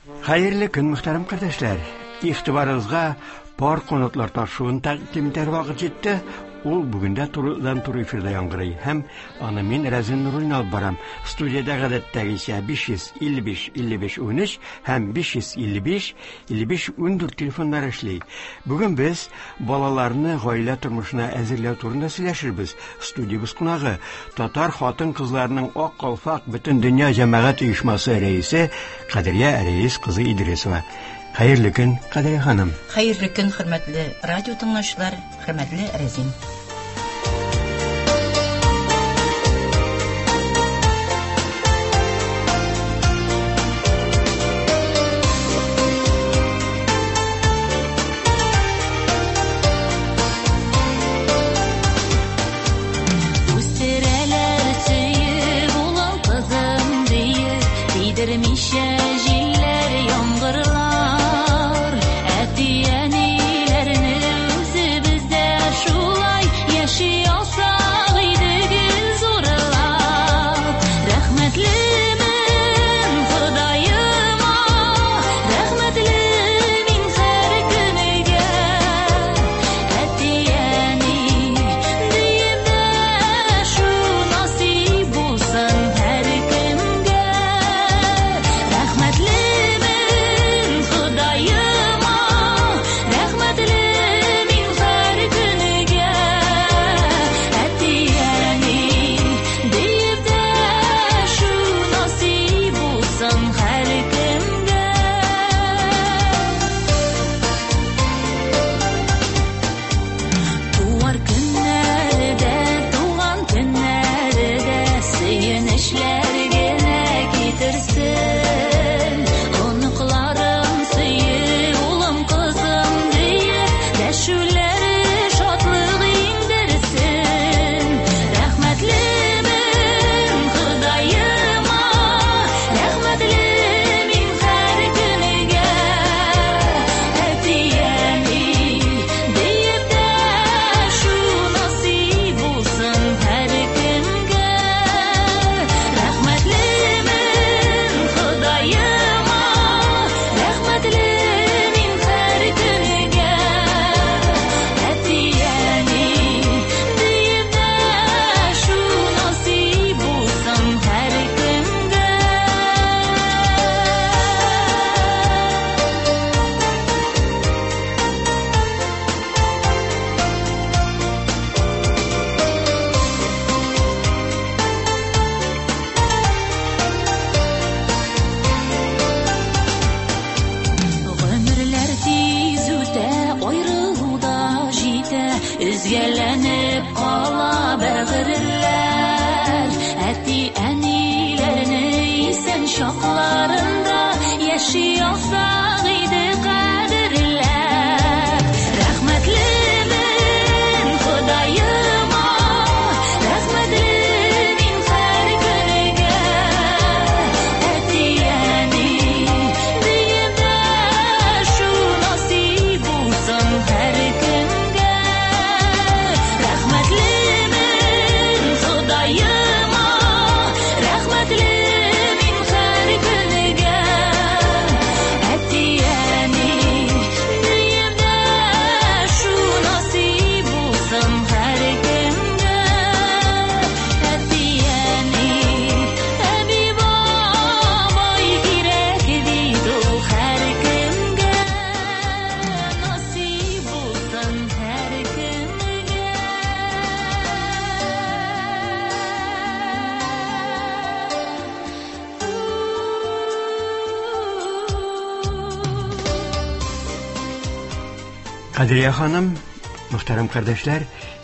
Хәерле көн, мөхтәрәм кардәшләр. Игътибарыгызга пар канатлар тапшыруын тәкъдим итәр вакыт җитте. Ул бүген дә турыдан-туры эфирда яңгырый һәм аны мин Рәзин Нуруллин алып барам. Студиядә гадәттәгечә 555 55 13 һәм 555 55 14 телефоннары эшли. Бүген без балаларны гаилә тормышына әзерләү турында сөйләшербез. Студиябез кунагы татар хатын-кызларының Ак калфак бөтендөнья җәмәгать оешмасы рәисе Кадрия Рәис кызы Идрисова. Хәерле көн, Кадрия ханым. Хәерле көн, хөрмәтле радио тыңлаучылар, хөрмәтле Рәзин. Үстерәләр сөеп улым кызым диеп, тидермичә җилләр, яңгырлар. Әти-әниләрне үзебез дә шулай яши алсак иде гел зурлап. Рәхмәтлемен Ходаема, рәхмәтле мин һәр көнегә. Әти-әни диеп дәшү насыйп булсын һәркемгә. Рәхмәтлемен Ходаема, рәхмәтле мин һәр көнегә. Әти-әни диеп дәшү насыйп булсын һәркемгә. Туар көннәре дә, туган көннәре дә сөенечләр генә китерсен. Оныкларым сөеп, улым, кызым диеп, дәшүләре шатлык иңдерсен. Рәхмәтлемен Ходаема, рәхмәтле мин һәр көнегә. Әти-әни диеп дәшү насыйп булсын һәркемгә. Рәхмәтлемен Ходаема, рәхмәтле мин һәр көнегә. Әти-әни диеп дәшү насыйп булсын һәркемгә. Гомерләр тиз үтә, аерылу да җитә, өзгәләнеп кала бәгырьләр. Әти-әниләрне исән чакларында яши алсак иде кадерләп. Рәхмәтлемен Ходаема, рәхмәтле мин һәр көнегә. Әти-әни диеп дәшү насыйп булсын һәркемгә. Рәхмәтлемен Ходаема, рәхмәтле мин һәр көнегә. Әти-әни диеп дәшү насыйп булсын һәркемгә. Әти-әни, әби-бабай кирәк бит ул һәркемгә. Насыйп булсын һәркемгә. Кадрия ханым, мөхтәрәм кардәшләр,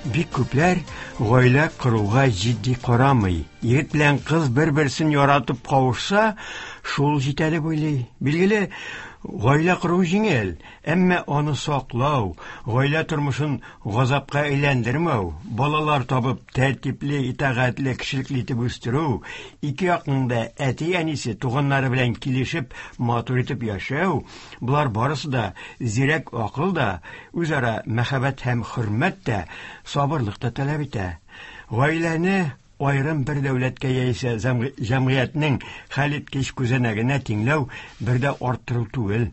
бик күпләр гаилә коруга җитди карамый. Егет белән кыз бер-берсен яратып кавышса, шул җитә дип уйлый. Билгеле, гаилә кору җиңел, әмма аны саклау, гаилә тормышын газапка әйләндермәү, балалар табып тәртипле, итагатьле, кешелекле итеп үстерү, ике якның да әти-әнисе, туганнары белән килешеп, матур итеп яшәү, болар барысы да зирәк акыл да, үзара мәхәббәт һәм хөрмәт тә, сабырлык та таләп итә. Гаиләне аерым бер дәүләткә яисә җәмгыятьнең хәлиткеч күзәнәгенә тиңләү бер дә арттыру түгел.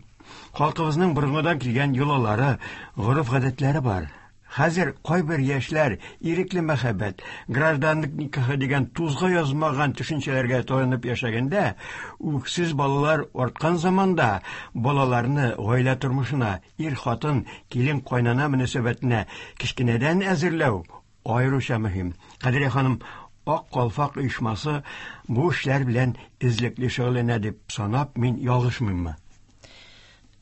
Халкыбызның борынгыдан килгән йолалары, гореф-гадәтләре бар. Хәзер кайбер яшьләр ирекле мәхәббәт, гражданлык никахы дигән тузга язмаган төшенчәләргә таянып яшәгәндә, үксез балалар арткан заманда балаларны гаилә тормышына, ир-хатын, килен-кайнана мөнәсәбәтенә кечкенәдән әзерләү аеруча мөһим. Кадрия ханым, Ак калфак оешмасы бу эшләр белән эзлекле шөгыльләнә дип санап, мин ялгышмыйммы?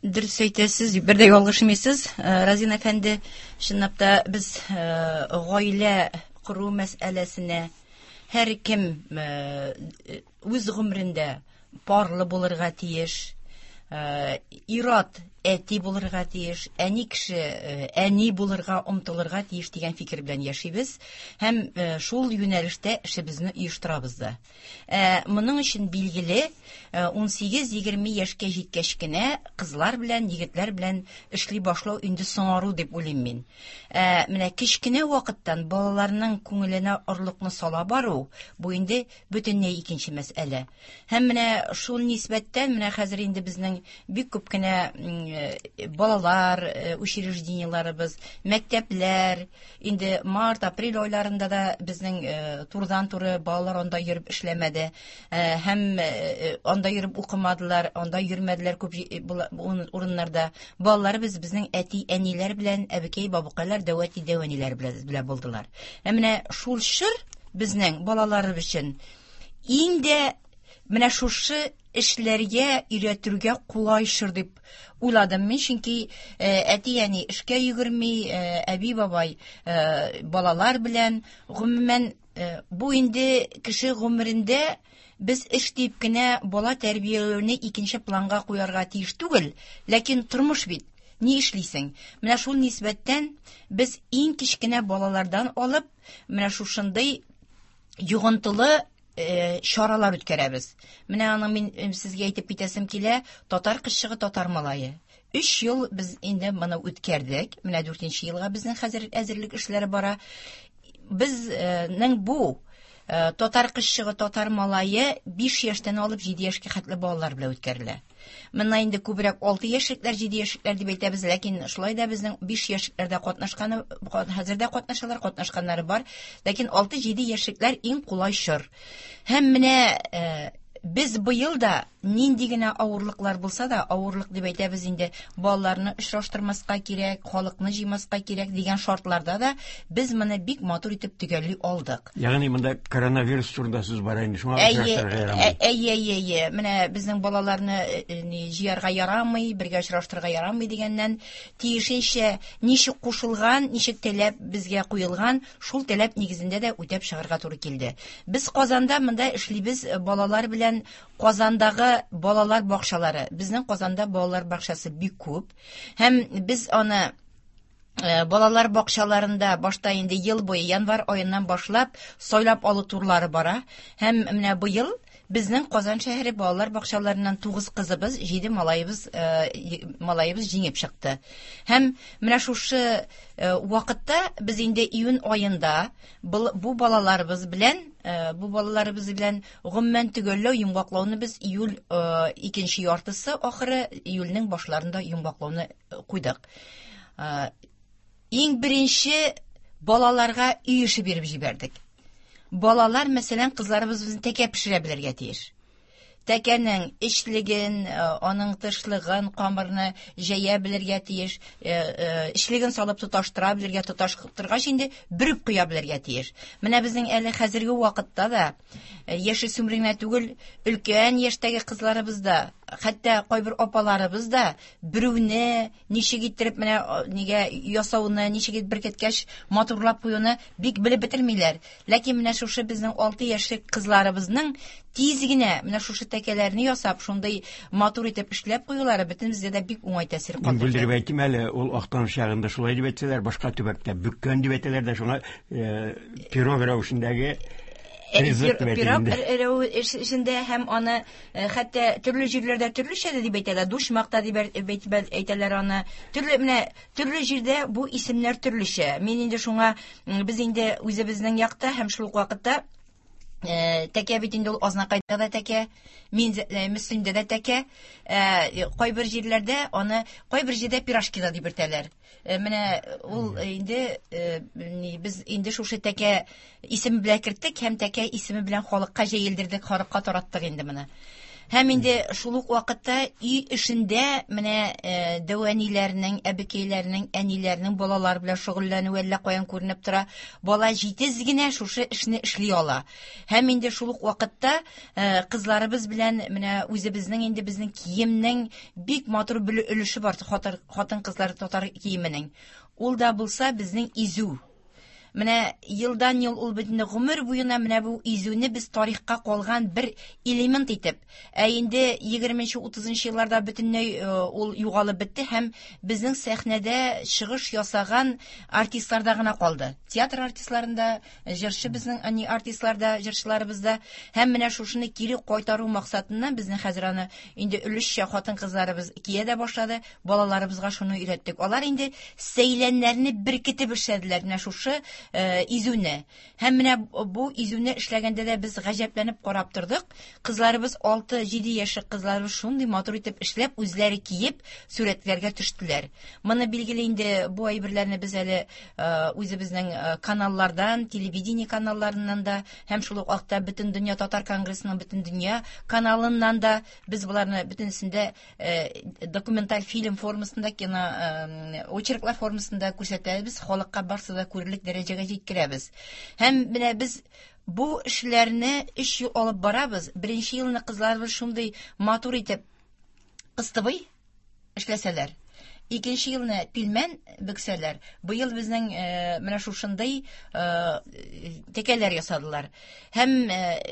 Дөрес әйтәсез, бер дә ялгышмыйсыз, э, Разин әфәнде. Чынлап та без э, гаилә кору мәсьәләсенә һәркем э, үз гомерендә парлы булырга тиеш, ир-ат әти булырга тиеш, әни кеше әни булырга омтылырга тиеш дигән фикер белән яшибез һәм шул юнәлештә эшебезне оештырабыз да. Ә, моның өчен билгеле 18-20 яшькә җиткәч кенә кызлар белән, егетләр белән эшли башлау инде соңару дип уйлыйм мин. Ә, менә кечкенә вакыттан балаларның күңеленә орлыкны сала бару, бу инде бөтенләй икенче мәсьәлә. Һәм менә шул нисбәттән менә хәзер инде безнең бик күп кенә э, балалар э, учреждениеләребез, мәктәпләр, инде март, апрель айларында да безнең э, турыдан-туры балалар анда йөреп эшләмәде һәм анда йөреп укымадылар, анда йөрмәделәр күп урыннарда. Балаларыбыз безнең әти-әниләр белән, әбекәй, бабыкайлар, дәү әти, дәү әниләр белән булдылар. Ә менә шул чор безнең балаларыбыз өчен иң дә менә шушы эшләргә өйрәтергә кулай чор дип уйладым мин, чөнки э, әти-әни эшкә йөгерми, э, әби-бабай э, балалар белән, гомумән, бу инде кеше гомерендә без эш дип кенә бала тәрбияләүне икенче планга куярга тиеш түгел, ләкин тормыш бит, ни эшлисең? Менә шул нисбәттән без иң кечкенә балалардан алып, менә шушындый йогынтылы э, чаралар үткәрәбез. Менә аның мин э, сезгә әйтеп китәсем килә, татар кызчыгы, татар малае. Өч ел без инде моны үткәрдек. Менә дүртенче елга безнең хәзер әзерлек эшләре бара. Безнең бу э, татар кызчыгы, татар малае 5 яшьтән алып 7 яшькә хәтле балалар белән үткәрелә. Монда инде күбрәк 6 яшьлекләр, 7 яшьлекләр дип әйтәбез, ләкин шулай да безнең 5 яшьлекләрдә катнашканы, хәзер дә катнашалар, катнашканнары бар. Ләкин 6-7 яшьлекләр иң кулай чор. Һәм менә э, без быел да нинди генә авырлыклар булса да, авырлык дип әйтәбез инде, балаларны очраштырмаска кирәк, халыкны җыймаска кирәк дигән шартларда да без моны бик матур итеп төгәлли алдык. Ягъни монда коронавирус турында сүз бара инде, шуңа очраштырырга ярамый. Әйе, әйе, әйе. Менә безнең балаларны э, э, ни, җыярга ярамый, бергә очраштырырга ярамый дигәннән, тиешенчә ничек кушылган, ничек таләп безгә куелган, шул таләп нигезендә дә үтәп чыгарга туры килде. Без Казанда монда эшлибез э, балалар белән Казандагы балалар бакчалары. Безнең Казанда балалар бакчасы бик күп. Һәм без аны Э, балалар бакчаларында башта инде ел буе январь аеннан башлап сайлап алу турлары бара һәм менә быел безнең Казан шәһәре балалар бакчаларыннан 9 кызыбыз, 7 малаебыз э, малаебыз җиңеп чыкты. Һәм менә шушы э, вакытта без инде июнь аенда бу балаларыбыз белән бу балаларыбыз белән гомумән төгәлләү йомгаклауны без июль икенче яртысы ахыры июльнең башларында йомгаклауны куйдык. Иң беренче балаларга өй эше биреп җибәрдек. Балалар, мәсәлән, кызларыбыз безнең тәкә пешерә белергә тиеш. Тәкәнең эчлеген, аның тышлыгын, камырны җәя белергә тиеш, эчлеген салып тоташтыра белергә, тоташтыргач инде бөреп куя белергә тиеш. Менә безнең әле хәзерге вакытта да яшүсмер генә түгел, өлкән яшьтәге кызларыбыз да, хәтта кайбер апаларыбыз да бөрүне, ничек иттереп менә нигә ясауны, ничек итеп беркеткәч матурлап куюны бик белеп бетермиләр. Ләкин менә шушы безнең 6 яшьлек кызларыбызның тиз генә менә шушы тәкәләрне ясап, шундый матур итеп эшләп куюлары бөтенебезгә дә бик уңай тәэсир калдырды. Бүлдереп әйтим әле, ул Актаныш ягында шулай дип әйтсәләр, башка төбәктә бөккән дип әйтәләр дә, шуңа э, пирог рәвешендәге ризык дип Пирог рәвешендә һәм аны Э, хәтта төрле җирләрдә төрлечә дә дип әйтәләр, душмак та дип әйтәләр аны. Төрле менә төрле җирдә бу исемнәр төрлечә. Мин инде шуңа без инде үзебезнең якта һәм шул ук вакытта Тәкә бит инде ул Азнакайда да тәкә, мин Мөслимдә дә тәкә. Кайбер җирләрдә аны кайбер җирдә пирожки да дип йөртәләр. Менә ул инде без инде шушы тәкә исеме белән керттек һәм тәкә исеме белән халыкка җәелдердек, халыкка тараттык инде моны. Һәм инде шул ук вакытта өй эшендә менә дәү әниләрнең, әбекәйләрнең, әниләрнең балалар белән шөгыльләнүе әллә каян күренеп тора. Бала җитез генә шушы эшне эшли ала. Һәм инде шул ук вакытта кызларыбыз белән менә үзебезнең инде безнең киемнең бик матур бер өлеше бар хатын-кызлар татар киеменең. Ул да булса безнең изү. Менә елдан ел ул бит инде гомер буена менә бу изүне без тарихка калган бер элемент итеп, ә инде 20-30 елларда бөтенләй ул югалып бетте һәм безнең сәхнәдә чыгыш ясаган артистларда гына калды. Театр артистларында, җырчы безнең ани артистларда, җырчыларыбызда һәм менә шушыны кире кайтару максатыннан безнең хәзер аны инде өлешчә хатын-кызларыбыз кия дә башлады, балаларыбызга шуны өйрәттек. Алар инде сәйләннәрне беркетеп эшләделәр менә шушы изүне. Һәм менә бу изүне эшләгәндә дә без гаҗәпләнеп карап тордык. Кызларыбыз 6-7 яшьлек кызларыбыз шундый матур итеп эшләп, үзләре киеп, сурәтләргә төштеләр. Моны билгеле инде бу әйберләрне без әле үзебезнең каналлардан, телевидение каналларыннан да һәм шул ук вакытта Бөтендөнья татар конгрессының Бөтендөнья каналыннан да без боларны бөтенесендә документаль фильм формасында, кино очерклар формасында күрсәтәбез, халыкка барсы да күрерлек дәрәҗәгә җиткерәбез. Һәм менә без бу эшләрне 3 ел алып барабыз. Беренче елны кызларыбыз шундый матур итеп кыстыбый эшләсәләр, икенче елны пилмән бөксәләр, быел безнең менә шушындый тәкәләр ясадылар. Һәм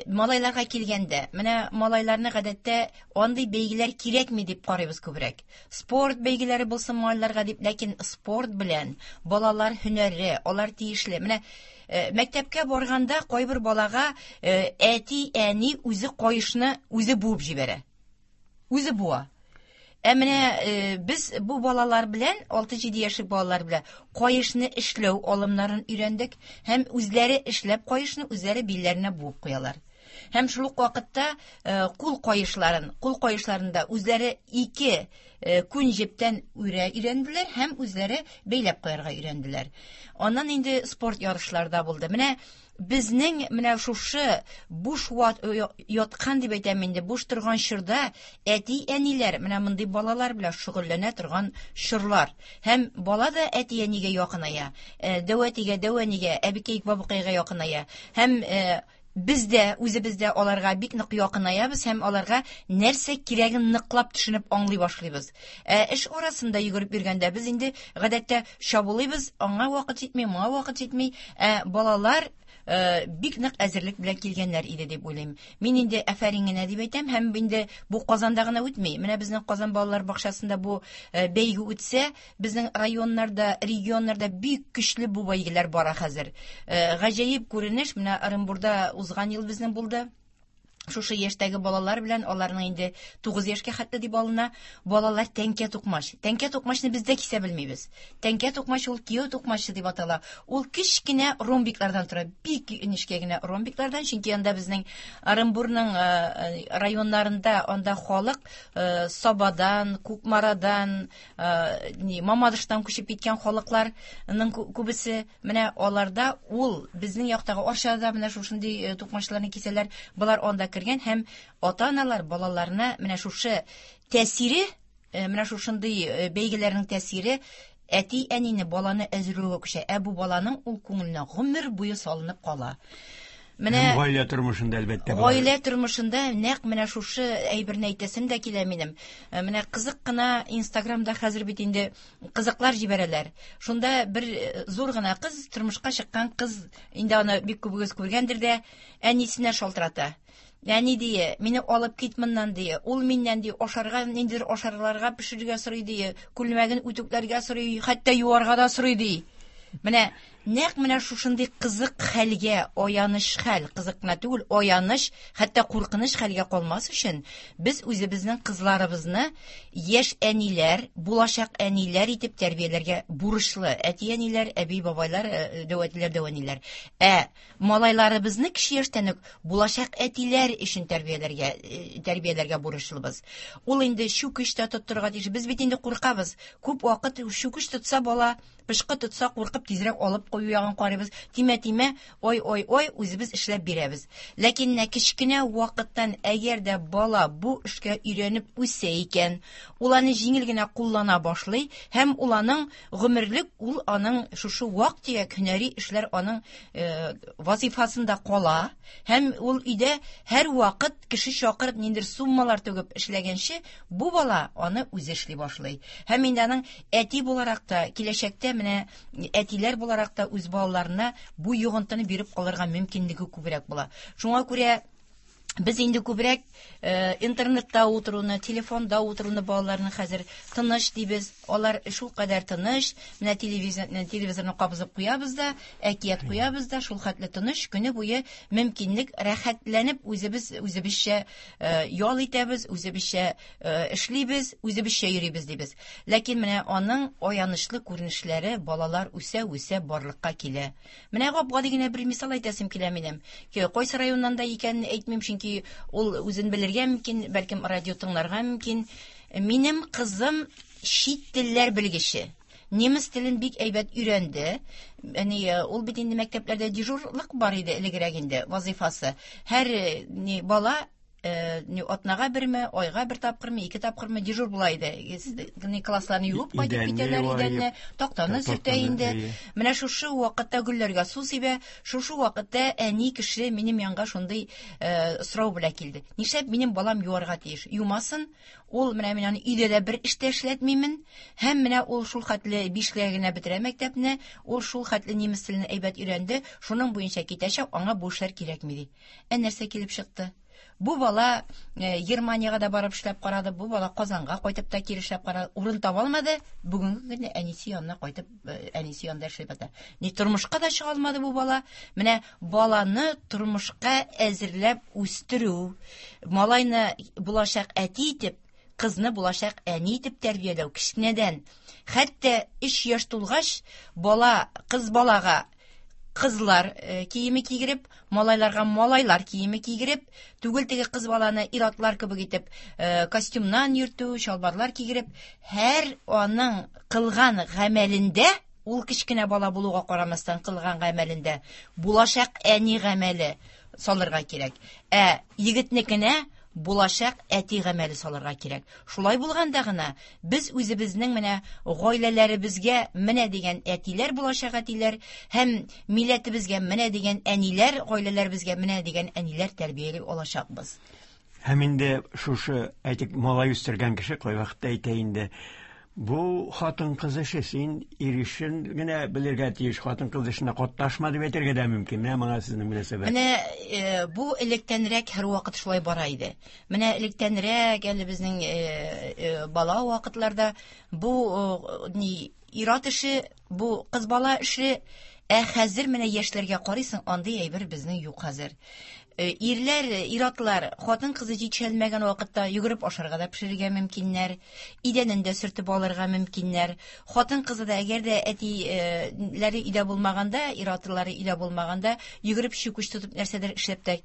малайларга килгәндә, менә малайларны гадәттә андый бәйгеләр кирәкми дип карыйбыз күбрәк. Спорт бәйгеләре булсын малайларга дип, ләкин спорт белән балалар һөнәре, алар тиешле. Менә мәктәпкә барганда кайбер балага әти-әни үзе каешны үзе буып җибәрә. Үзе буа. Ә менә без бу балалар белән, 6-7 яшьлек балалар белән каешны эшләү алымнарын өйрәндек һәм үзләре эшләп каешны үзләре билләренә буып куялар. Һәм шул ук вакытта кул каешларын, кул каешларында үзләре ике күн җептән үрә өйрәнделәр һәм үзләре бәйләп куярга өйрәнделәр. Аннан инде спорт ярышлары да булды. Менә безнең менә шушы буш яткан дип әйтәм инде, буш торган чорда әти-әниләр менә мондый балалар белән шөгыльләнә торган чорлар. Һәм бала да әти-әнигә якыная, дәү әтигә, дәү әнигә, әбекәй, бабыкайга якыная. Һәм без дә үзебез дә аларга бик нык якынаябыз һәм аларга нәрсә кирәген ныклап төшенеп аңлый башлыйбыз. Эш арасында йөгереп йөргәндә без инде гадәттә чабулыйбыз, аңа вакыт җитми, моңа вакыт җитми. Балалар бик нык әзерлек белән килгәннәр иде дип уйлыйм. Мин инде афәрин генә дип әйтәм, һәм инде бу Казанда гына үтми. Менә безнең Казан балалар бакчасында бу бәйге үтсә, безнең районнарда, регионнарда бик көчле бу бәйгеләр бара хәзер. Гаҗәеп күренеш, менә Оренбурда узган ел безнең булды. Шушы яшьтәге балалар белән, аларның инде 9 яшькә хәтле дип алына, балалар тәңкә тукмач. Тәңкә тукмачны без дә кисә белмибез. Тәңкә тукмач ул кияү тукмачы дип атала. Ул кечкенә ромбиклардан тора, бик нечкә генә ромбиклардан, чөнки анда безнең Оренбурның районнарында анда халык Сабадан, Кукмарадан, Мамадыштан күчеп киткән халыкларның күбесе. Менә аларда ул безнең яктагы Арчада менә шушындый тукмачларны кисәләр, болар анда кергән һәм ата-аналар балаларына менә шушы тәэсире, менә шушындый бәйгеләрнең тәэсире әти-әнине баланы әзерләүгә күчә. Ә бу баланың ул күңеленә гомер буе салынып кала. Менә Һәм гаилә тормышында әлбәттә болар. Гаилә тормышында нәкъ менә шушы әйберне әйтәсем дә килә минем. Менә кызык кына Инстаграмда хәзер бит инде кызыклар җибәрәләр. Шунда бер зур гына кыз, тормышка чыккан кыз, инде аны бик күбегез күргәндер дә, әнисенә шалтырата. Әни дие, мине алып кит моннан дие. Ул миннән дие, ашарга, ниндидер ашарларга пешерергә сорый дие, күлмәген үтүкләргә сорый, хәтта юарга да сорый ди. Менә Нәкъ менә шушындый кызык хәлгә, аяныч хәл, кызык кына түгел, аяныч, хәтта куркыныч хәлгә калмас өчен, без үзебезнең кызларыбызны яшь әниләр, булачак әниләр итеп тәрбияләргә бурычлы. Әти-әниләр, әби-бабайлар, дәү әтиләр, дәү әниләр. Ә малайларыбызны кече яшьтән үк булачак әтиләр өчен тәрбияләргә, тәрбияләргә бурычлыбыз. Ул инде чүкеч тә тоттырырга тиеш. Без бит инде куркабыз. Күп вакыт чүкеч тотса бала, пычкы тотса, куркып тизрәк алып кую ягын карыйбыз. Тимә, тимә, ой, ой, ой, үзебез эшләп бирәбез. Ләкин менә кечкенә вакыттан әгәр дә бала бу эшкә өйрәнеп үсә икән, ул аны җиңел генә куллана башлый һәм ул аның гомерлек, ул аның шушы вак-төяк һөнәри эшләр аның вазифасында кала һәм ул өйдә һәрвакыт кеше чакырып ниндидер суммалар түгеп эшләгәнче, бу бала аны үзе эшли башлый. Һәм инде аның әти буларак та, киләчәктә менә әтиләр буларак та үз балаларына бу йогынтыны биреп калырга мөмкинлеге күбрәк була. Шуңа күрә без инде күбрәк интернетта утыруны, телефонда утыруны балаларны хәзер тыныч дибез. Алар шул кадәр тыныч, менә телевизорны кабызып куябыз да, әкият куябыз да, шул хәтле тыныч, көне буе мөмкинлек рәхәтләнеп үзебез үзебезчә ял итәбез, үзебезчә эшлибез, үзебезчә йөрибез дибез. Ләкин менә аның аянычлы күренешләре балалар үсә-үсә барлыкка килә. Менә гап-гади генә бер мисал әйтәсем килә минем. Кайсы районнан да икәнен әйтмим, чөнки ул үзен белергә мөмкин, бәлкем радио тыңларга мөмкин. Минем кызым чит телләр белгече. Немец телен бик әйбәт өйрәнде. Әни, ул бит инде мәктәпләрдә дежурлык бар иде элегрәк инде вазифасы. Һәр ни бала ни атнага берме, айга бер тапкырмы, ике тапкырмы дежур була иде. Ни классларны юып кайтып китәләр, идәнне, тактаны сөртә инде. Менә шушы вакытта гөлләргә су сибә, шушы вакытта әни кеше минем янга шундый сорау белән килде. Нишләп минем балам юарга тиеш? Юмасын, ул менә мин аны өйдә дә бер эш тә эшләтмимен. Һәм менә ул шул хәтле бишлегә генә бетерә мәктәпне, ул шул хәтле немец телен әйбәт өйрәнде, шуның буенча китәчәк, аңа бу эшләр кирәкми ди. Ә нәрсә килеп чыкты? Бу бала Германиягә дә барып эшләп карады, бу бала Казанга кайтып та кире эшләп карады, урын таба алмады. Бүгенге көндә әнисе янына кайтып, әнисе янында эшләп ята. Ни тормышка да чыга алмады бу бала. Менә баланы тормышка әзерләп үстерү, малайны булачак әти итеп, кызны булачак әни итеп тәрбияләү кечкенәдән. Хәтта 3 яшь тулгач, бала кыз балага кызлар киеме кигереп, малайларга малайлар киеме кигереп, түгел теге кыз баланы ир-атлар кебек итеп костюмнан йөртү, чалбарлар кигереп, һәр аның кылган гамәлендә, ул кечкенә бала булуга карамастан кылган гамәлендә булачак әни гамәле салырга кирәк. Ә егетнекенә булачак әти гамәле салырга кирәк. Шулай булганда гына без үзебезнең менә гаиләләребезгә менә дигән әтиләр булачак әтиләр һәм милләтебезгә менә дигән әниләр, гаиләләребезгә менә дигән әниләр тәрбияли алачакбыз. Һәм инде шушы, әйтик, малай үстергән кеше кайвакытта әйтә инде, бу хатын-кыз эше, син ир эшен генә белергә тиеш, хатын-кыз эшенә катнашма дип әйтергә дә мөмкин. Менә моңа сезнең мөнәсәбәт. Менә бу электәнрәк һәрвакыт шулай бара иде. Менә электәнрәк әле безнең бала вакытларда бу ни ир-ат эше, бу кыз бала эше, ә хәзер менә яшьләргә карыйсың, андый әйбер безнең юк хәзер. Ирләр, ир-атлар хатын-кызы җитешәлмәгән вакытта йөгереп ашарга да пешерергә мөмкиннәр, идәнен дә сөртеп алырга мөмкиннәр. Хатын-кызы да әгәр дә әтиләре өйдә булмаганда, ир-атлары өйдә булмаганда, йөгереп чүкеч тотып нәрсәдер эшләп тә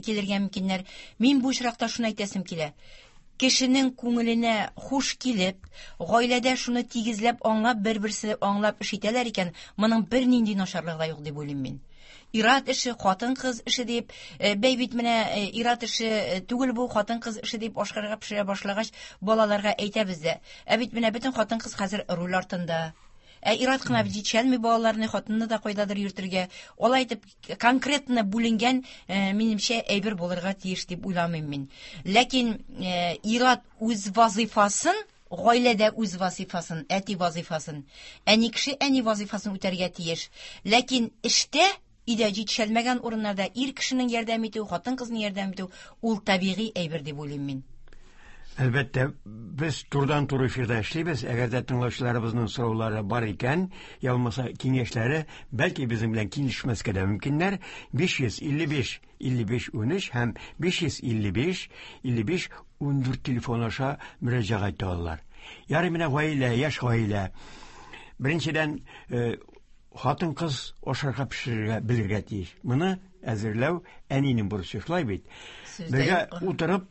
килергә мөмкиннәр. Мин бу очракта шуны әйтәсем килә. Кешенең күңеленә хуш килеп, гаиләдә шуны тигезләп аңлап, бер-берсе аңлап эш итәләр икән, моның бернинди начарлыгы да юк дип уйлыйм мин. Ир-ат эше, хатын-кыз эше дип, бәй бит менә ир-ат эше түгел бу, хатын-кыз эше дип ашкарга пешерә башлагач, балаларга әйтәбез дә. Ә бит менә бөтен хатын-кыз хәзер руль артында. Ә ир-ат кына бит җитешәлми балаларны, хатынны да кайдадыр йөртергә. Алай итеп конкретно бүленгән, минемчә, әйбер булырга тиеш дип уйламыйм мин. Ләкин ир-ат үз вазифасын, гаиләдә үз вазифасын, әти вазифасын, әни кеше әни вазифасын үтәргә тиеш. Ләкин эштә, өйдә җитешәлмәгән урыннарда ир кешенең ярдәм итү, хатын-кызның ярдәм итү ул табигый әйбер дип уйлыйм мин. Әлбәттә, без турыдан-туры эфирда эшлибез. Әгәр дә тыңлаучыларыбызның сораулары бар икән, я булмаса киңәшләре, бәлки безнең белән килешмәскә дә мөмкиннәр. 555 55 13 һәм 555 55 14 телефон аша мөрәҗәгать итә алалар. Ярый менә гаилә, яшь гаилә. Беренчедән, э, хатын-кыз ашарга пешерергә белергә тиеш. Моны әзерләү әнинең бурычы, шулай бит? Бергә утырып,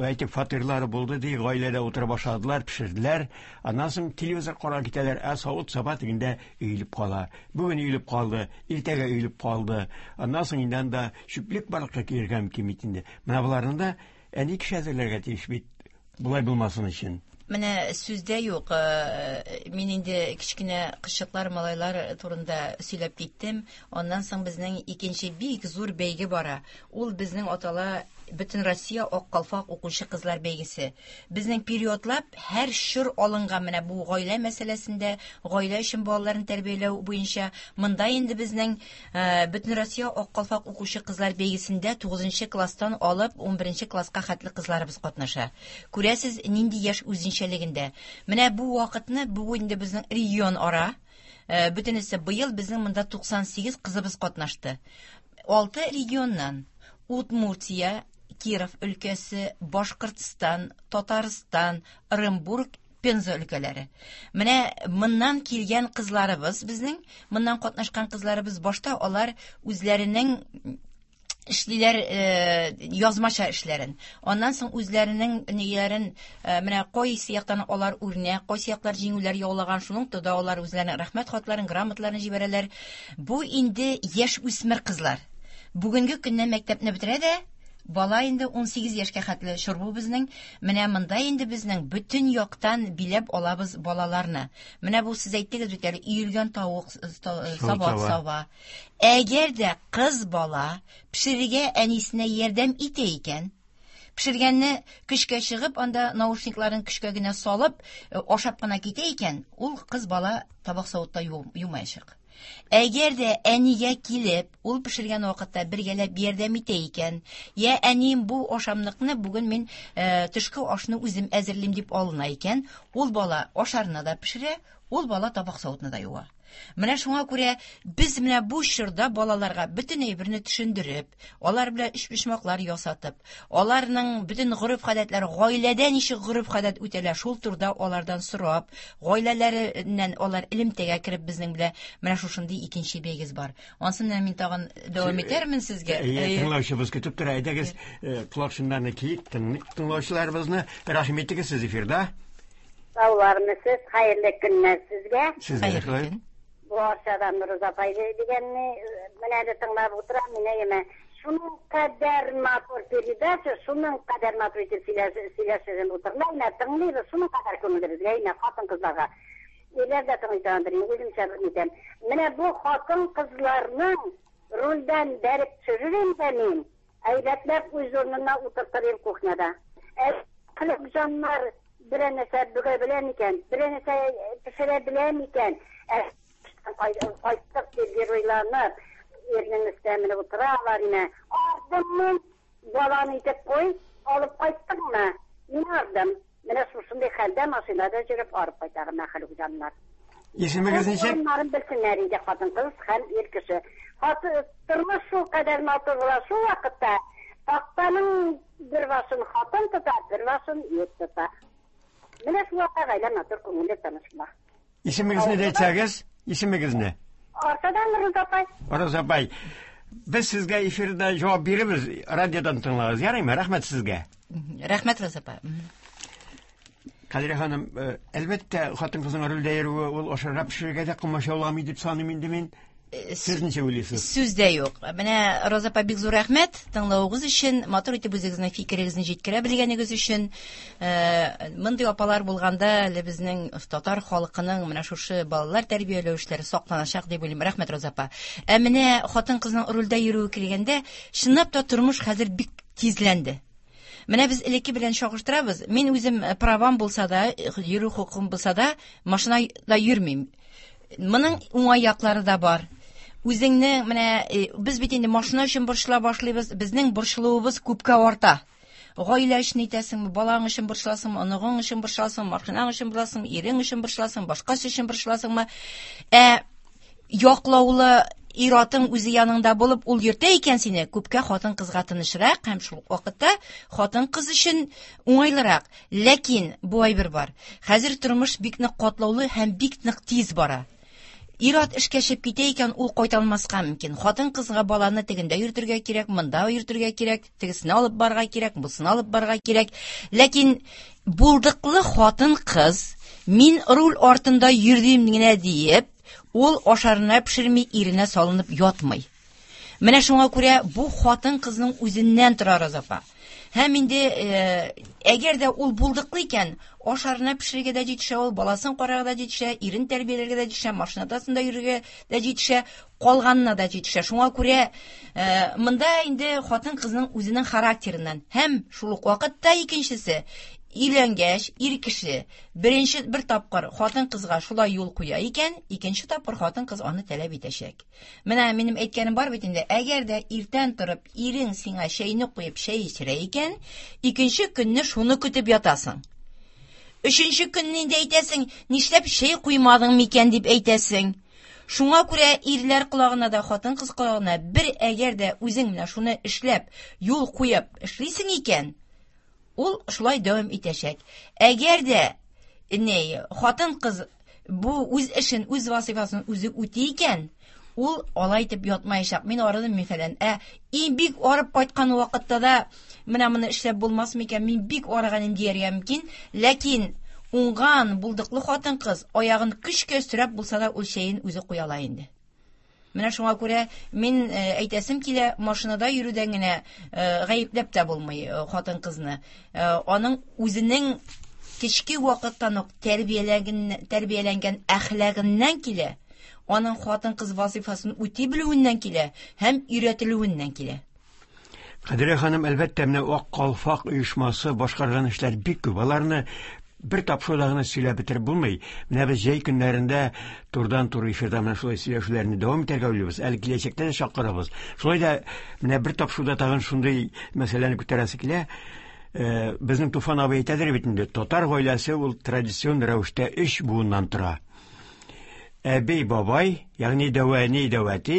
әйтик, фатирлары булды ди, гаиләдә утырып ашадылар, пешерделәр. Аннан соң телевизор карап китәләр, ә савыт-саба тегендә өелеп кала. Бүген өелеп калды, иртәгә өелеп калды. Аннан соң инде анда чүплек барлыкка килергә мөмкин бит инде. Менә боларны да әни кеше әзерләргә тиеш бит, болай булмасын өчен. Менә сүздә юк, мин инде кечкенә кызчыклар, малайлар турында сөйләп киттем. Аннан соң безнең икенче бик зур бәйге бара. Ул безнең атала Бөтенроссия Ак калфак укучы кызлар бәйгесе. Безнең периодлап һәр чор алынган менә бу гаилә мәсьәләсендә, гаилә өчен балаларны тәрбияләү буенча. Монда инде безнең Бөтенроссия Ак калфак укучы кызлар бәйгесендә 9 класстан алып 11 класска хәтле кызларыбыз катнаша. Күрәсез, нинди яшь үзенчәлегендә. Менә бу вакытны, бу инде безнең регион ара, бөтенесе быел безнең монда 98 кызыбыз катнашты. 6 регионнан: Удмуртия, Киров өлкәсе, Башкортстан, Татарстан, Ырымбург, Пенза өлкәләре. Менә моннан килгән кызларыбыз безнең, моннан катнашкан кызларыбыз башта алар үзләренең эшлиләр язмача эшләрен. Аннан соң үзләренең ниләрен, менә кайсы яктан алар үрнәк, кайсы яклар җиңүләр яулаган, шуның турында алар үзләренең рәхмәт хатларын, грамоталарын җибәрәләр. Бу инде яшь үсмер кызлар. Бүгенге көннән мәктәпне бетерә дә, бала инде 18 яшькә хәтле чор бу безнең. Менә монда инде безнең бөтен яктан биләп алабыз балаларны. Менә бу сез әйттегез бит әле, өелгән тавык, сабат сава. Әгәр дә кыз бала пешерергә әнисенә ярдәм итә икән, пешергәнне көчкә чыгып, анда наушникларын көчкә генә салып, ашап кына китә икән, ул кыз бала табак савытта юмаячак. Әгәр дә әнигә килеп, ул пешергән вакытта бергәләп ярдәм итә икән, я әнием бу ашамлыкны бүген мин төшке ашны үзем әзерлим дип алына икән, ул бала ашарны да пешерә, ул бала табак савытны да юа. Менә шуңа күрә без менә бу чорда балаларга бөтен әйберне төшендереп, алар белән өчпочмаклар ясатып, аларның бөтен гореф-гадәтләре, гаиләдә ничек гореф-гадәт үтәлә, шул турыда алардан сорап, гаиләләреннән алар элемтәгә кереп безнең белән менә шушындый икенче бәйгез бар. Ансын менә мин тагын дәвам итәрмен сезгә. Әйе, тыңлаучыбыз көтеп тора. Әйдәгез, колакчыннарны киик, тыңлаучыларыбызны. Рәхим итегез, сез эфирда. Саулармысыз, хәерле көннәр сезгә. Сезгә дә шулай. Бу Арчадан Роза апай дигәнне менә әле тыңлап утырам, мин әйеме. Шуның кадәр матур передача, шуның кадәр матур итеп сөйләшеп утырыла, менә тыңлыйбыз, шуның кадәр күңелле безгә, әйме, хатын-кызларга. Ирләр дә тыңлый торгандыр, мин үземчә әйтәм. Менә бу хатын-кызларның рульдән бәреп төшерер инде мин. Әйбәтләп үз урынына утыртыр идем кухняда. Ә кылык җаннар берәр нәрсә бөгә белә микән, берәр нәрсә пешерә белә микән? Ә кайттык дип геройланып, ирнең өстенә менеп утыралар име. Ардым мин, баланы итеп куй, алып кайттыңмы? Мин ардым. Менә шушындый хәлдә машинада йөреп арып кайта мәхлук җаннар. Исемегез ничек? Урыннарын белсеннәр инде хатын-кыз һәм ир кеше. Тормыш шул кадәр матур була шул вакытта. Тактаның бер башын хатын тота, бер башын ир тота. Менә шул вакытта гаилә матур, күңелле, тыныч була. Исемегезне дә әйтсәгез, исемегезне. Арчадан Роза апай. Роза апай, без сезгә эфирда җавап бирербез, радиодан тыңлагыз. Ярыймы? Рәхмәт сезгә. Рәхмәт, Роза апа. Кадриә ханым, әлбәттә, хатын-кызның рульдә йөрүе ул ашарга пешерергә дә комачауламый дип саныйм инде мин. Сез ничек уйлыйсыз? Сүз дә юк. Менә Роза апа, бик зур рәхмәт тыңлавыгыз өчен, матур итеп үзегезнең фикерегезне җиткерә белгәнегез өчен. Мондый апалар булганда әле безнең татар халкының менә шушы балалар тәрбияләү эшләре сакланачак дип уйлыйм. Рәхмәт, Роза апа. Ә менә хатын-кызның рульдә йөрүе килгәндә, чынлап та тормыш хәзер бик тизләнде. Менә без элекке белән чагыштырабыз. Мин үзем правам булса да, йөрү хокукым булса да, машинада йөрмим. Моның уңай яклары да бар. Үзеңне менә без бит инде машина өчен борчыла башлыйбыз, безнең борчылуыбыз күпкә арта. Гаилә өчен итәсеңме, балаң өчен борчыласыңмы, оныгың өчен борчыласыңмы, машинаң өчен борчыласыңмы, ирең өчен борчыласыңмы, башкасы өчен борчыласыңмы? Ә яклаулы ир-атың үзе яныңда булып, ул йөртә икән сине, күпкә хатын-кызга тынычрак һәм шул ук вакытта хатын-кыз өчен уңайлырак. Ләкин бу әйбер бар. Хәзер тормыш бик нык катлаулы һәм бик нык тиз бара. Ир-ат эшкә чыгып китә икән, ул кайта алмаска мөмкин. Хатын-кызга баланы тегендә йөртергә кирәк, монда йөртергә кирәк, тегесенә алып барырга кирәк, бусына алып барырга кирәк. Ләкин булдыклы хатын-кыз мин руль артында йөрдем генә диеп, ул ашарына пешерми, иренә салынып ятмый. Менә шуңа күрә бу хатын-кызның үзеннән тора, Роза апа. Һәм инде әгәр дә ул булдыклы икән, ашарына пешерергә дә җитешә ул, баласын карарга да җитешә, ирен тәрбияләргә дә җитешә, машинадасында йөрергә дә җитешә, калганына да җитешә. Шуңа күрә монда инде хатын-кызның үзенең характерыннан һәм шул ук вакытта икенчесе, өйләнгәч, ир кеше беренче бер тапкыр хатын-кызга шулай юл куя икән, икенче тапкыр хатын-кыз аны таләп итәчәк. Менә минем әйткәнем бар бит инде, әгәр дә иртән торып ирең сиңа чәйне куеп чәй эчерә икән, икенче көнне шуны көтеп ятасың. Өченче көнне инде әйтәсең, нишләп чәй куймадың микән дип әйтәсең. Шуңа күрә ирләр колагына да, хатын-кыз колагына бер әгәр дә үзең менә шуны эшләп, юл куеп эшлисең икән, ул шулай дәвам итәчәк. Әгәр дә не хатын-кыз бу үз эшен, үз вазифасын үзе үти икән, ул алай итеп ятмаячак. Мин арыдым, мин фәлән. Ә иң бик арып кайткан вакытта да менә моны эшләп булмас микән, мин бик арыган инде дияргә мөмкин. Ләкин уңган, булдыклы хатын-кыз аягын көчкә өстерәп булса да ул чәен үзе куя ала инде. Менә шуңа күрә мин әйтәсем килә, машинада йөрүдән генә гаепләп тә булмый хатын-кызны. Аның үзенең кечке вакыттан ук тәрбияләнгән әхлагыннан килә, аның хатын-кыз вазифасын үти белүеннән килә һәм өйрәтелүеннән килә. Кадрия ханым, әлбәттә, менә Ак калфак оешмасы башкарган эшләр бик күп. Аларны бер тапшыруда гына сөйләп бетереп булмый. Менә без җәй көннәрендә турыдан-туры эфирда менә шулай сөйләшүләрне дәвам итәргә уйлыйбыз. Әле киләчәктә дә чакырабыз. Шулай да менә бер тапшыруда тагын шундый мәсьәләне күтәрәсе килә. Безнең Туфан абый әйтәдер бит инде, татар гаиләсе ул традицион рәвештә өч буыннан тора. Әби, бабай, ягъни дәү әни, дәү әти,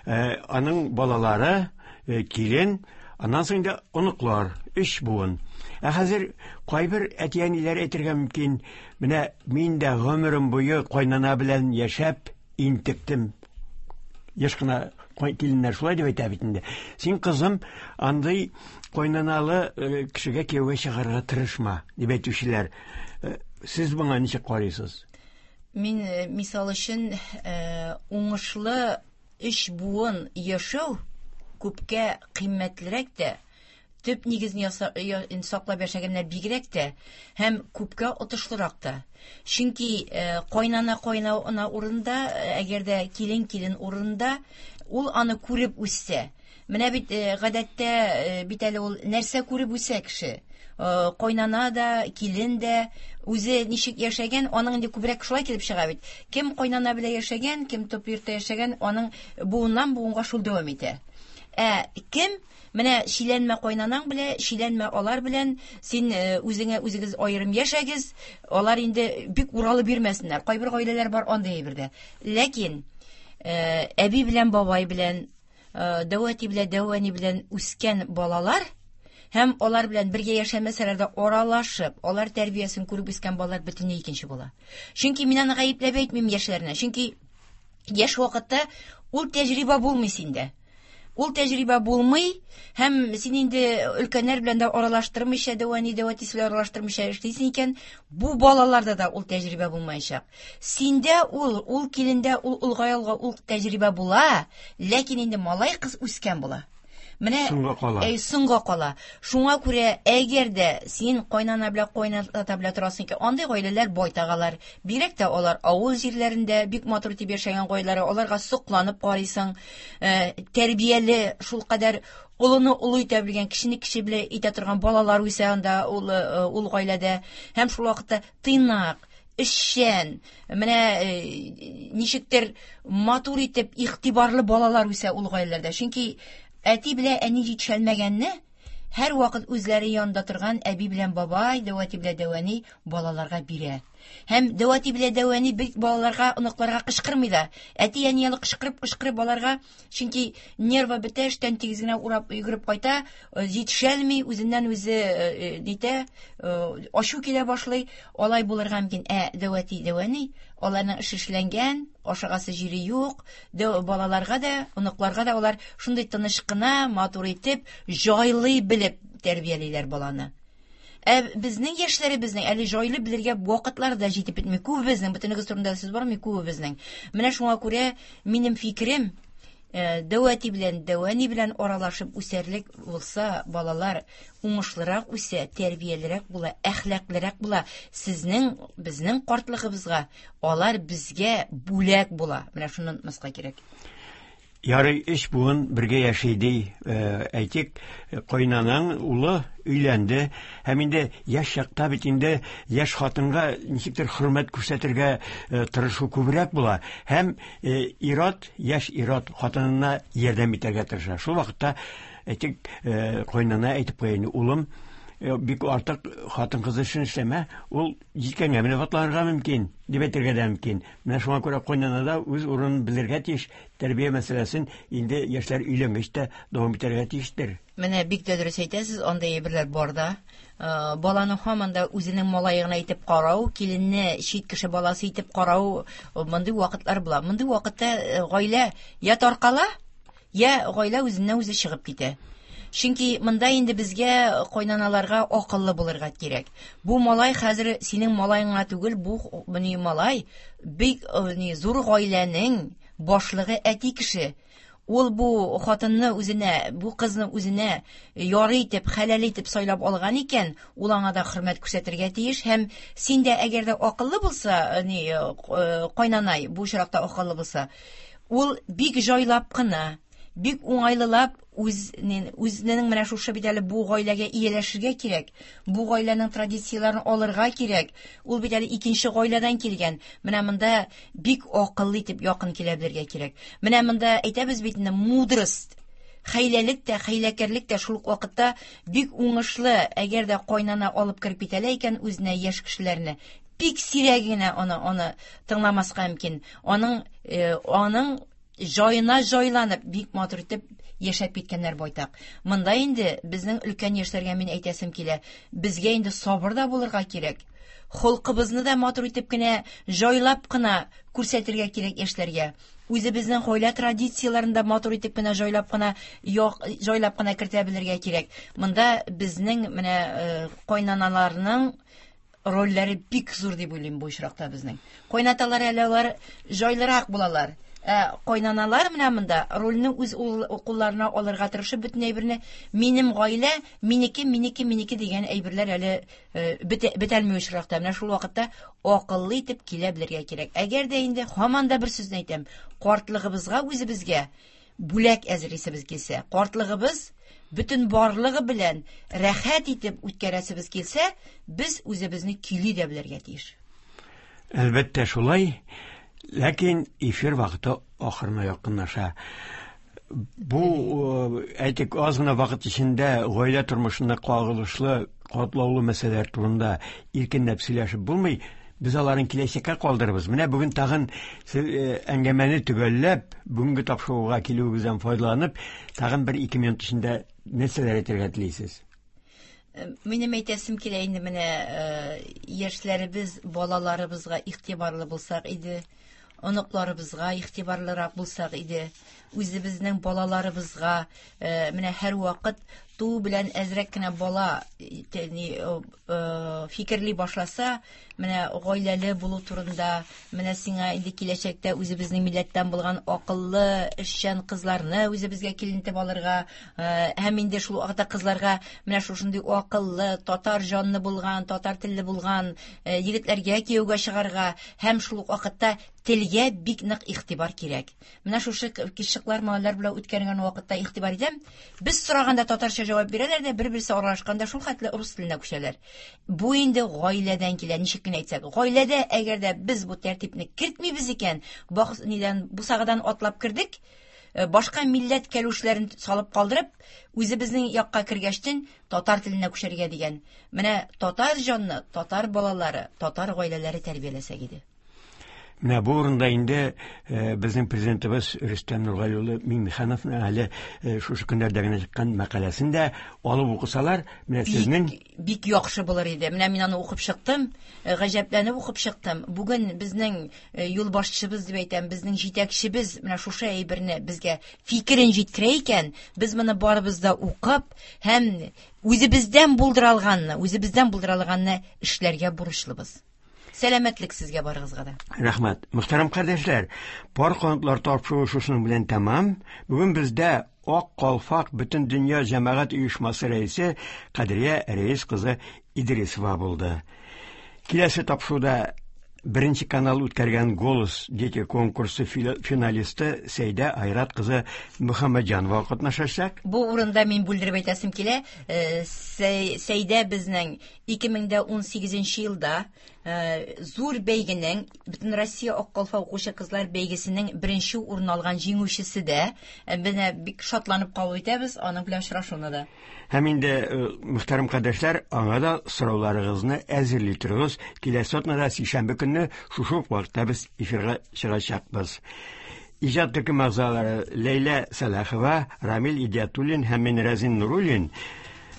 аның балалары, килен, аннан соң инде оныклар, өч буын. Ә хәзер кайбер әти-әниләр әйтергә мөмкин, менә мин дә гомерем буе кайнана белән яшәп интектем. Еш кына киленнәр шулай дип әйтә бит инде. Син, кызым, андый кайнаналы кешегә кияүгә чыгарга тырышма, дип әйтүчеләр. Сез моңа ничек карыйсыз? Мин, мисал өчен, уңышлы өч буын яшәү күпкә кыйммәтлерәк тә, төп нигезне саклап яшәгәннәр бигрәк тә һәм күпкә отышлырак та. Чөнки кайнана кайнана урында, әгәр дә килен килен урында, ул аны күреп үссә. Менә бит гадәттә бит әле ул нәрсә күреп үсә кеше. Кайнана да, килен дә үзе ничек яшәгән, аның инде күбрәк шулай килеп чыга бит. Кем кайнана белән яшәгән, кем төп йортта яшәгән, аның буыннан буынга шул дәвам итә. Ә кем менә чиләнмә кайнанаң белән, чиләнмә алар белән, син үзеңә үзегез аерым яшәгез, алар инде бик уралып йөрмәсеннәр. Кайбер гаиләләр бар андый әйбердә. Ләкин әби белән бабай белән, дәү әти белән дәү әни белән үскән балалар һәм алар белән бергә яшәмәсәләр дә аралашып, алар тәрбиясен күреп үскән балалар бөтенләй икенче була. Чөнки мин аны гаепләп әйтмим яшьләрне. Чөнки яшь вакытта ул тәҗрибә булмый синдә. Ул тәҗрибә булмый һәм син инде өлкәннәр белән дә аралаштырмыйча, дәү әни, дәү әтисе белән аралаштырмыйча эшлисең икән, бу балаларда да ул тәҗрибә булмаячак. Синдә ул, ул килендә, ул олгая ул тәҗрибә була, ләкин инде малай кыз үскән була. Менә соңга кала. Әй, соңга кала. Шуңа күрә әгәр дә син кайнана белән кайната белән торасың икән, андый гаиләләр байтак алар. Бигрәк тә алар авыл җирләрендә бик матур итеп яшәгән гаиләләр, аларга сокланып карыйсың. Тәрбияле, шулкадәр олыны олы итә белгән, кешене кеше белән итә торган балалар үсә анда ул, ул гаиләдә. Һәм шул вакытта тыйнак, эшчән, менә ничектер матур итеп игътибарлы балалар үсә ул гаиләләрдә. Чөнки әти белән әни җитешәлмәгәнне Һәрвакыт үзләре янында торган әби белән бабай, дәү әти белән дәү әни балаларга бирә. Һәм дәү әти белән дәү әни бик балаларга, оныкларга кычкырмый да. Әти-әни әле кычкырып-кычкырып балаларга, чөнки нервы бетә, эштән тигез генә урап йөгереп кайта, җитешәлми, үзеннән үзе нитә, ачу килә башлый. Алай булырга мөмкин. Ә дәү әти, дәү әни, аларның эше эшләнгән, ашыгасы җире юк. Дәү балаларга да, оныкларга да алар шундый тыныч кына, матур итеп, җайлый белеп тәрбиялиләр баланы. Ә безнең яшьләребезнең әле җайлы белергә вакытлары да җитеп бетми. Күбебезнең, бөтенегез турында сүз бармый, күбебезнең. Менә шуңа күрә минем фикерем, дәү әти белән, дәү әни белән аралашып үсәрлек булса, балалар уңышлырак үсә, тәрбиялерәк була, әхлаклырак була. Сезнең, безнең картлыгыбызга алар безгә бүләк була. Менә шуны онытмаска кирәк. Ярый, өч буын бергә яши ди. Әйтик, кайнанаң улы өйләнде һәм инде яшь чакта бит инде яшь хатынга ничектер хөрмәт күрсәтергә тырышу күбрәк була һәм ир-ат, яшь ир-ат хатынына ярдәм итәргә тырыша. Шул вакытта әйтик, кайнана әйтеп куя инде, улым, бик артык хатын-кыз эшен эшләмә, ул җилкәңә менеп атланырга мөмкин, дип әйтергә дә мөмкин. Менә шуңа күрә кайнана да үз урынын белергә тиеш, тәрбия мәсьәләсен инде яшьләр өйләнгәч тә дәвам итәргә тиештер. Менә бик тә дөрес әйтәсез, андый әйберләр бар да. Баланы һаман да үзенең малае гына итеп карау, киленне чит кеше баласы итеп карау, мондый вакытлар була. Мондый вакытта гаилә я таркала, я гаилә үзеннән үзе чыгып китә. Чөнки монда инде безгә кайнаналарга акыллы булырга кирәк. Бу малай хәзер синең малаең гына түгел, бу ни малай бик ни зур гаиләнең башлыгы әти кеше. Ул бу хатынны үзенә, бу кызны үзенә ярый итеп, хәләл итеп сайлап алган икән, ул аңа да хөрмәт күрсәтергә тиеш. Һәм син дә әгәр дә акыллы булса, ни, кайнанай бу очракта акыллы булса, ул бик җайлап кына, бик уңайлылап үзенең менә шушы бит әле бу гаиләгә ияләшергә кирәк, бу гаиләнең традицияләрен алырга кирәк. Ул бит әле икенче гаиләдән килгән. Менә монда бик акыллы итеп якын килә белергә кирәк. Менә монда әйтәбез бит инде, мудрость, хәйләлек тә, хәйләкәрлек тә шул ук вакытта бик уңышлы, әгәр дә кайнана алып кереп китәлә икән үзенә яшь кешеләрне, бик сирәк генә аны тыңламаска мөмкин. Аның җаена җайланып, бик матур итеп яшәп киткәннәр байтак. Монда инде безнең өлкән яшьләргә мин әйтәсем килә, безгә инде сабыр да булырга кирәк. Холкыбызны да матур итеп кенә, җайлап кына күрсәтергә кирәк яшьләргә. Үзебезнең гаилә традицияләрен дә матур итеп кенә, җайлап кына, җайлап кына кертә белергә кирәк. Монда безнең менә кайнаналарның рольләре бик зур дип уйлыйм бу очракта безнең. Кайнаталар әле алар җайлырак булалар. Ә кайнаналар менә монда рольне үз кулларына алырга тырышып бөтен әйберне минем гаилә, минеке, минеке, минеке дигән әйберләр әле бетәлми очракта. Менә шул вакытта акыллы итеп килә белергә кирәк. Әгәр дә инде һаман да бер сүзне әйтәм, картлыгыбызга үзебезгә бүләк әзерлисебез килсә, картлыгыбыз бөтен барлыгы белән рәхәт итеп үткәрәсебез килсә, без үзебезне көйли дә белергә тиеш. Әлбәттә шулай, ләкин эфир вакыты ахырына якынлаша. Бу, әйтик, аз гына вакыт эчендә гаилә тормышына кагылышлы катлаулы мәсьәләләр турында иркенләп сөйләшеп булмый. Без аларын киләчәккә калдырабыз. Менә бүген тагын сез әңгәмәне төгәлләп, бүгенге тапшыруга килүегездән файдаланып, тагын бер-ике минут эчендә нәрсәләр әйтергә телисез? Минем әйтәсем килә инде менә яшьләребез, балаларыбызга игътибарлы булсак иде, оныкларыбызга игътибарлырак булсак иде, үзебезнең балаларыбызга менә һәрвакыт туу белән әзрәк кенә бала фикерли башласа, менә гаиләле булу турында, менә сиңа инде киләчәктә үзебезнең милләттән булган акыллы, эшчән кызларны үзебезгә килен итеп алырга, һәм инде шул вакытта кызларга менә шушындый акыллы, татар җанлы булган, татар телле булган егетләргә кияүгә чыгарга, һәм шул ук вакытта телгә бик нык игътибар кирәк. Менә шушы кешекләр, малайлар белән үткәргән вакытта игътибар итәм. Без сораганда татарча җавап бирәләр дә, бер-берсе аралашканда шул хәтле рус теленә күчәләр. Бу инде гаиләдән килә, ничек кенә әйтсәк. Гаиләдә әгәр дә без бу тәртипне кертмибез икән, бак, нидән, бусагадан атлап кердек, Башка милләт кәлүшләрен салып калдырып, үзебезнең якка кергәчтен татар теленә күчәргә дигән. Менә татар җанны, татар балалары, татар гаиләләре тәрбияләсәк иде. Менә бу урында инде безнең президентыбыз Рөстәм Нургали улы Миңнехановның әле шушы көннәрдә генә чыккан мәкаләсен дә алып укысалар, менә сезнең бик яхшы булыр иде. Менә мин аны укып чыктым, гаҗәпләнеп укып чыктым. Бүген безнең юлбашчыбыз дип әйтәм, безнең җитәкчебез менә шушы әйберне безгә фикерен җиткерә икән, без моны барыбыз да укып һәм үзебездән булдыра алганны эшләргә бурычлыбыз. Сәламәтлек сезгә барыгызга да. Рәхмәт. Мөхтәрәм кардәшләр, пар канатлар тапшыруы шушының белән тәмам. Бүген бездә Ак калфак бөтен дөнья җәмәгать оешмасы рәисе Кадрия Рәис кызы Идрисова булды. Киләсе тапшыруда Беренче канал үткәргән Голос дети конкурсы финалисты Сәйдә Айрат кызы Мөхәммәтҗанова катнашачак. Бу урында мин бүлдереп әйтәсем килә, Сәйдә безнең 2018 елда зур бәйгенең Бөтен Россия Ак калфак укучы кызлар бәйгесенең беренче урын алган җиңүчесе дә. Менә бик шатланып кабул итәбез аның белән очрашуны да. Һәм инде, мөхтәрәм кардәшләр, аңа да сорауларыгызны әзерли торыгыз. Киләсе атнада сишәмбе көнне шушы ук вакытта без эфирга чыгачакбыз. Иҗат төркем әгъзалары Ләйлә Сәлахова, Рамил Идиатуллин һәм мин Рәзин Нуруллин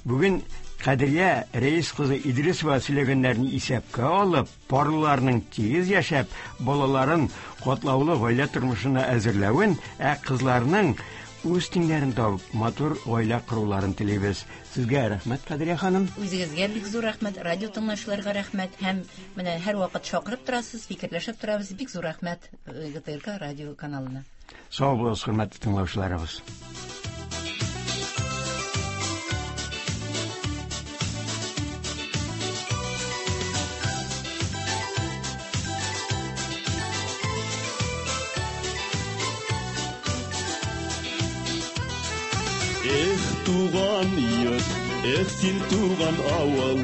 бүген Кадрия Рәис кызы Идрисова сөйләгәннәрне исәпкә алып, парлыларның тигез яшәп, балаларын катлаулы гаилә тормышына әзерләвен, ә кызларның үз тиңнәрен табып, матур гаилә коруларын телибез. Сезгә рәхмәт, Кадрия ханым. Үзегезгә бик зур рәхмәт, радио тыңлаучыларга рәхмәт һәм менә һәрвакыт чакырып торасыз, фикерләшеп торабыз. Бик зур рәхмәт ГТРК радио каналына. Сау булыгыз, хөрмәтле тыңлаучыларыбыз. Эх, туган йорт, эх, син туган авыл,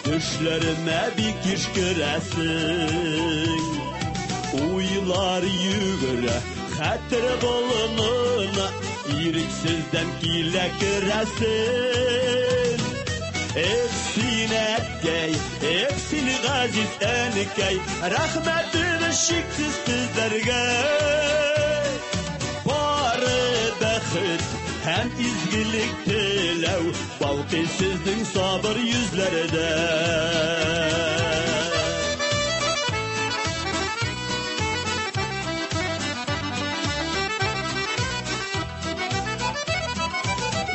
төшләремә бик еш керәсең. Уйлар йөгерә, хәтер болынына, ирексездән килә керәсең. Эх, син әткәй, эх, син газиз әнкәй, рәхмәтем чиксез сезләргә. Бары бәхет һәм изгелек теләү балкый сезнең сабыр йөзләрдә.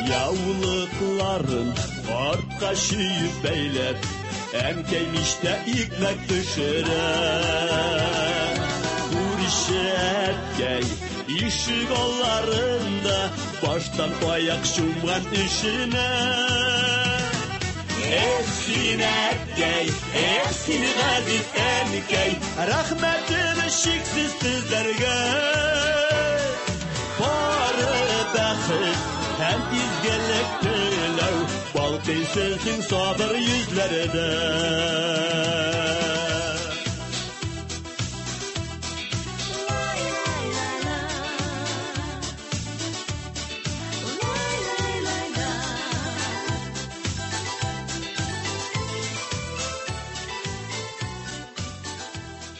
Яулыкларын артка чөеп бәйләп, әнкәй мичтә икмәк пешерә. Күрше әткәй ишек алларында баштан аяк чумган эшенә. Эх, син әткәй, эх, син газиз әнкәй, рәхмәтем чиксез сезләргә. Бары бәхет һәм изгелек теләү балкый сезнең сабыр йөзләрдә.